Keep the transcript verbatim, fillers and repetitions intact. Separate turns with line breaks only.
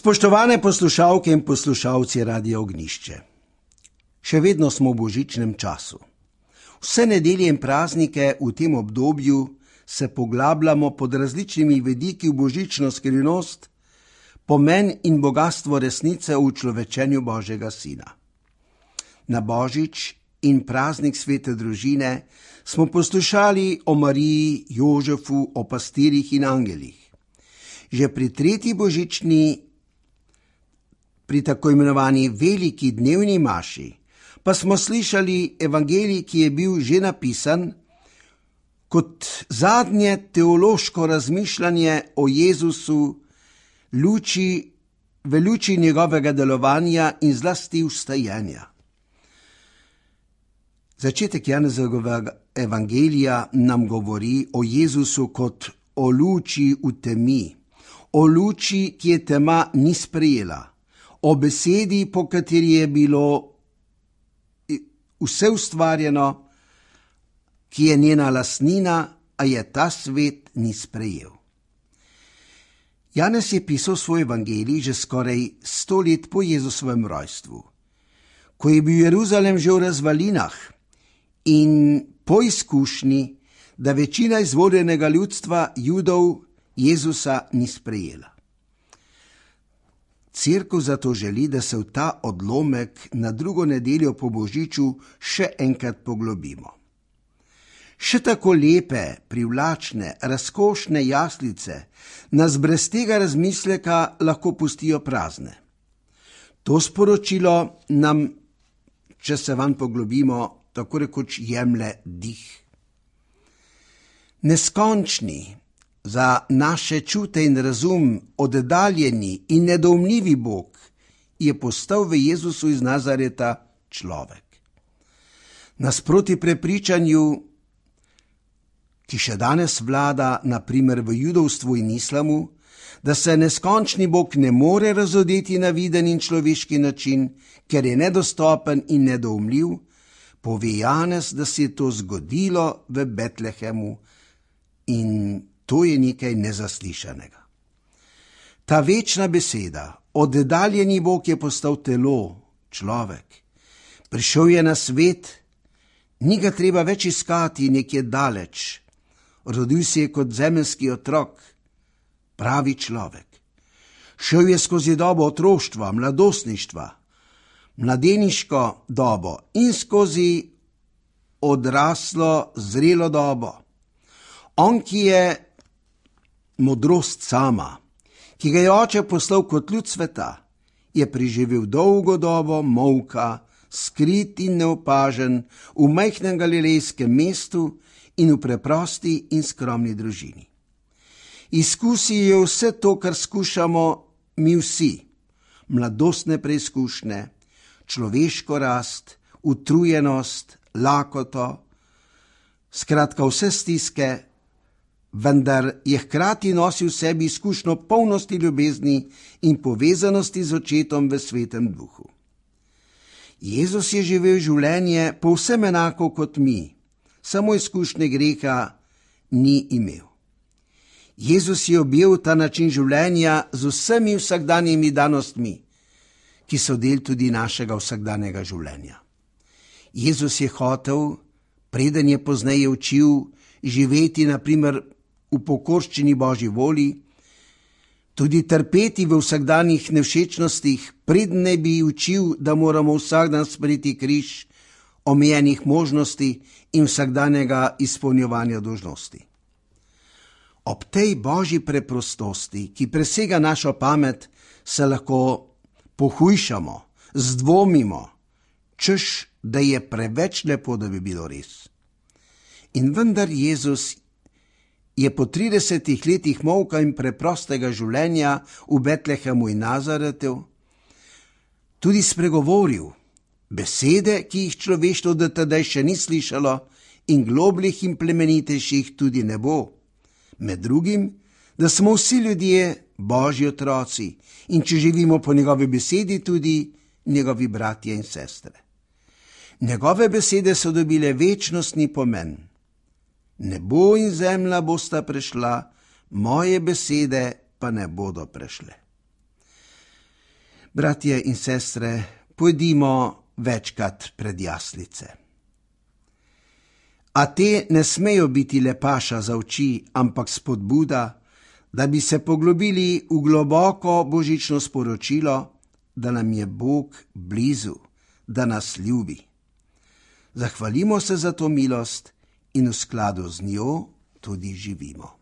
Spoštovane poslušalke in poslušalci Radia Ognjišče, še vedno smo v božičnem času. Vse nedelje in praznike v tem obdobju se poglabljamo pod različnimi vidiki v božično skrivnost, pomen in bogatstvo resnice v človečenju Božjega Sina. Na božič in praznik svete družine smo poslušali o Mariji, Jožefu, o pastirjih in angelih. Že pri tretji božični, pri tako imenovani veliki dnevni maši, pa smo slišali evangelij, ki je bil že napisan kot zadnje teološko razmišljanje o Jezusu, luči, v luči njegovega delovanja in zlasti vstajenja. Začetek Janezovega evangelija nam govori o Jezusu kot o luči v temi, o luči, ki je tema ni sprejela, o besedi, po kateri je bilo vse ustvarjeno, ki je njena lastnina, a je ta svet ni sprejel. Janez je pisal svoj evangelij že skoraj sto let po Jezusovem rojstvu, ko je bil Jeruzalem že v razvalinah in po izkušnji, da večina izvoljenega ljudstva Judov Jezusa ni sprejela. Cerkev zato želi, da se v ta odlomek na drugo nedeljo po božiču še enkrat poglobimo. Še tako lepe, privlačne, razkošne jaslice nas brez tega razmisleka lahko pustijo prazne. To sporočilo nam, če se vanj poglobimo, tako rekoč jemlje dih. Neskončni, za naše čute in razum oddaljeni in nedoumljivi Bog je postal v Jezusu iz Nazareta človek. Nasproti prepričanju, ki še danes vlada, na primer v judovstvu in islamu, da se neskončni Bog ne more razodeti na viden in človeški način, ker je nedostopen in nedoumljiv, pove Janez, da se je to zgodilo v Betlehemu in to je nekaj nezaslišanega. Ta večna beseda, oddaljeni Bog je postal telo, človek. Prišel je na svet, ni ga treba več iskati nekje daleč. Rodil se je kot zemeljski otrok, pravi človek. Šel je skozi dobo otroštva, mladostništva, mladeniško dobo in skozi odraslo, zrelo dobo. On, ki je modrost sama, ki ga je oče poslal kot ljud sveta, je preživel dolgo dobo molka, skrit in neopažen v majhnem galilejskem mestu in v preprosti in skromni družini. Izkusil je vse to, kar skušamo mi vsi, mladostne preizkušnje, človeško rast, utrujenost, lakoto, skratka vse stiske, vendar je hkrati nosil v sebi izkušnjo polnosti ljubezni in povezanosti z očetom v svetem duhu. Jezus je živel življenje povsem enako kot mi, samo izkušnje greha ni imel. Jezus je objel ta način življenja z vsemi vsakdanjimi danostmi, ki so del tudi našega vsakdanjega življenja. Jezus je hotel, preden je pozneje učil, živeti na primer v pokorščini Božji volji, tudi trpeti v vsakdanjih nevšečnostih, preden ne bi učil, da moramo vsak dan sprejeti križ, omejenih možnosti in vsakdanjega izpolnjevanja dolžnosti. Ob tej Božji preprostosti, ki presega našo pamet, se lahko pohujšamo, zdvomimo, češ, da je preveč lepo, da bi bilo res. In vendar Jezus je po tridesetih letih molka in preprostega življenja v Betlehemu in Nazaretu tudi spregovoril besede, ki jih človeštvo do tedaj še ni slišalo in globljih in plemenitejših tudi ne bo. Med drugim, da smo vsi ljudje Božji otroci in če živimo po njegovi besedi, tudi njegovi bratje in sestre. Njegove besede so dobile večnostni pomen. Nebo in zemlja bosta prešla, moje besede pa ne bodo prešle. Bratje in sestre, pojdimo večkrat pred jaslice. A te ne smejo biti le paša za oči, ampak spodbuda, da bi se poglobili v globoko božično sporočilo, da nam je Bog blizu, da nas ljubi. Zahvalimo se za to milost in v skladu z njo tudi živimo.